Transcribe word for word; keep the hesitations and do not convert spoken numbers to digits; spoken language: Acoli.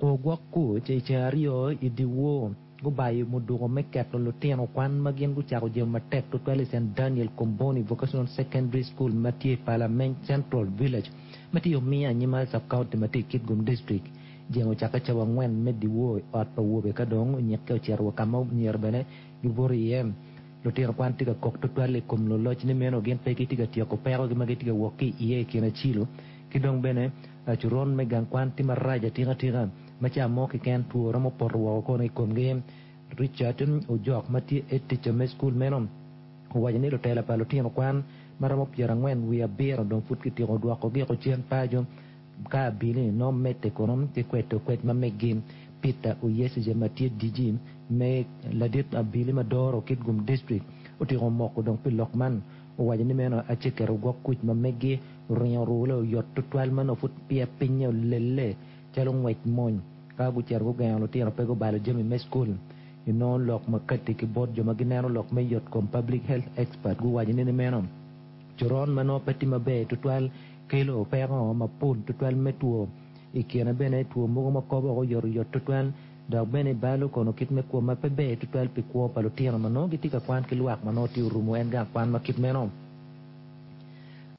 Ogwok kuc i ceng aryo i dyewor gubayo muduko me keto lutino kwan ma gin gucako jemo matek tutwal i St Daniel Comboni Vocational Secondary School ma tye i Parliament Central Village ma tye omiyo anyima sub-county ma tye i Kitgum District. Jemo ocakke cawa angwen me dyewor i ot pa wobe ka dong onyikke ocito wa ka ma myero bene gibuto iye. Lutino kwan tye ka kok tutwal i kom luloc ni meno gin pe gitye ka tyeko pekogi ma gitye ka wok ki iye i kin acilo ki dong bene coron me gang kwan tye marac atika atika ma ca mo keken two romo poto woko kono i komgi. Richard Ojok ma tye head teacher me cukul meno owaco ni lutela pa lutino kwan ma romo pyerangwen wiye abiro dong pud kityeko dwokogi cen paco ka abili nongo medde kono ki kwedo kwed ma meggi. Peter Oyesije ma tye D G me ladit abili ma doro Kitgum District otyeko moko dong pi lok man owaco ni meno aceketo gwok kuc ma meggi oringo orule oyot tutwal ma nongo pud peya pinye olelle calo ngwec mony ka gucito gugengo lutino pe gubalo jami me cukul. Inongo lok ma kati ki bot jo ma gineno lok me yot kom public health expert guwaco ni meno coron ma nongo pe tye maber tutwal kelo peko mapol tutwal me two i kine bene two mogo ma kobo oyotoyot tutwal dok bene balo kono kit me kwo ma pe ber tutwal pi kwo pa lutino ma nongo gitye ka kwan ki lwak ma nongo tye orumo en gang kwan ma kit meno.